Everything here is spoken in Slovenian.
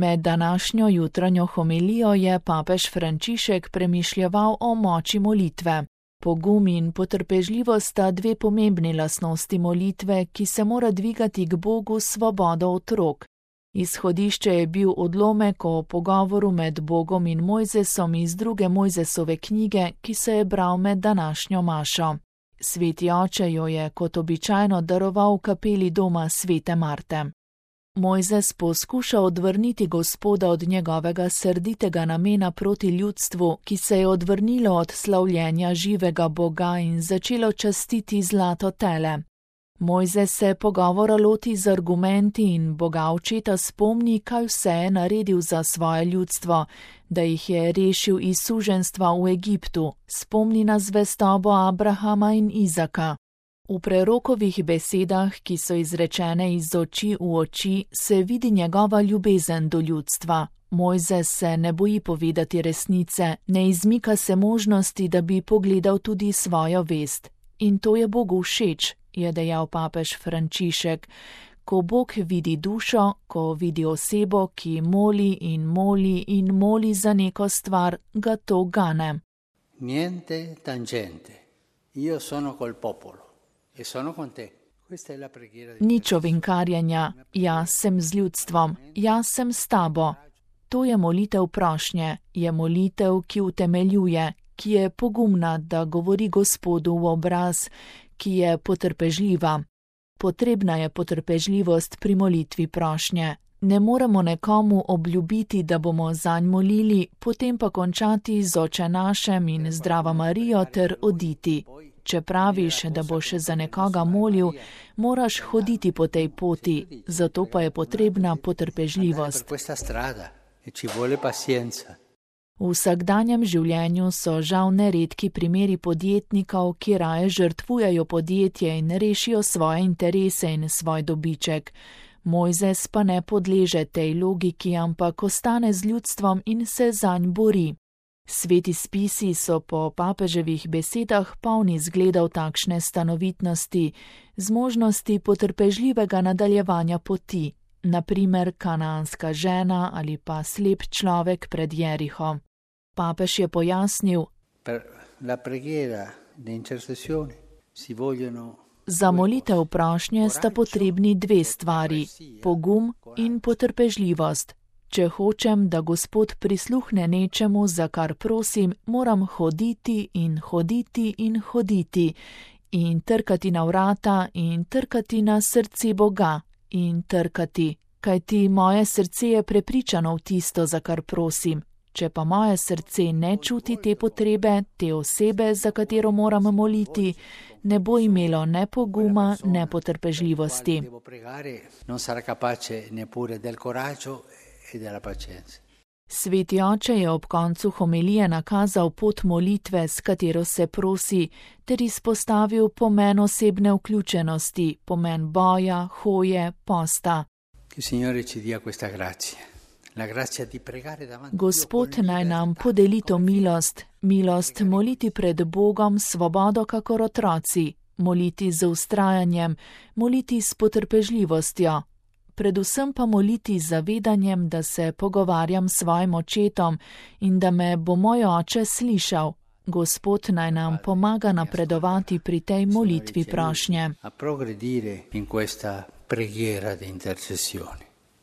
Med današnjo jutranjo homilijo je papež Frančišek premišljeval o moči molitve. Pogum in potrpežljivost sta dve pomembni lastnosti molitve, ki se mora dvigati k Bogu s svobodo otrok. Izhodišče je bil odlomek o pogovoru med Bogom in Mojzesom iz 2. Mojzesove knjige, ki se je bral med današnjo mašo. Sveti oče jo je kot običajno daroval v kapeli doma svete Marte. Mojzes poskuša odvrniti Gospoda od njegovega srditega namena proti ljudstvu, ki se je odvrnilo od slavljenja živega Boga in začelo častiti zlato tele. Mojzes se pogovora loti z argumenti in Boga očeta spomni, kaj vse je naredil za svoje ljudstvo, da jih je rešil iz suženjstva v Egiptu, spomni na zvestobo Abrahama in Izaka. V prerokovih besedah, ki so izrečene iz oči v oči, se vidi njegova ljubezen do ljudstva. Mojzes se ne boji povedati resnice, ne izmika se možnosti, da bi pogledal tudi svojo vest. In to je Bogu všeč, je dejal papež Frančišek. Ko Bog vidi dušo, ko vidi osebo, ki moli in moli in moli za neko stvar, ga to gane. Niente tangente, io sono col popolo. Nič ovinkarjenja, jaz sem z ljudstvom, jaz sem s tabo. To je molitev prošnje, je molitev, ki utemeljuje, ki je pogumna, da govori Gospodu v obraz, ki je potrpežljiva. Potrebna je potrpežljivost pri molitvi prošnje. Ne moremo nekomu obljubiti, da bomo zanj molili, potem pa končati z Oče našem in Zdrava Marijo ter oditi. Če praviš, da boš za nekoga molil, moraš hoditi po tej poti, zato pa je potrebna potrpežljivost. V vsakdanjem življenju so žal neredki primeri podjetnikov, ki raje žrtvujejo podjetje in rešijo svoje interese in svoj dobiček. Mojzes pa ne podleže tej logiki, ampak ostane z ljudstvom in se zanj bori. Sveti spisi so po papeževih besedah polni zgledov takšne stanovitnosti, zmožnosti potrpežljivega nadaljevanja poti, naprimer kanaanska žena ali pa slep človek pred Jeriho. Papež je pojasnil: za molitev prošnje sta potrebni dve stvari, pogum in potrpežljivost. Če hočem, da Gospod prisluhne nečemu, za kar prosim, moram hoditi in hoditi in hoditi in trkati na vrata in trkati na srce Boga in trkati, kajti moje srce je prepričano v tisto, za kar prosim. Če pa moje srce ne čuti te potrebe, te osebe, za katero moram moliti, ne bo imelo ne poguma, ne potrpežljivosti. Sveti oče je ob koncu homilije nakazal pot molitve, s katero se prosi, ter izpostavil pomen osebne vključenosti, pomen boja, hoje, posta. Gospod naj nam podeli to milost, milost moliti pred Bogom svobodo kakor otroci, moliti z vztrajanjem, moliti s potrpežljivostjo. Predvsem pa moliti z zavedanjem, da se pogovarjam s svojim očetom in da me bo moj oče slišal. Gospod naj nam pomaga napredovati pri tej molitvi prošnje.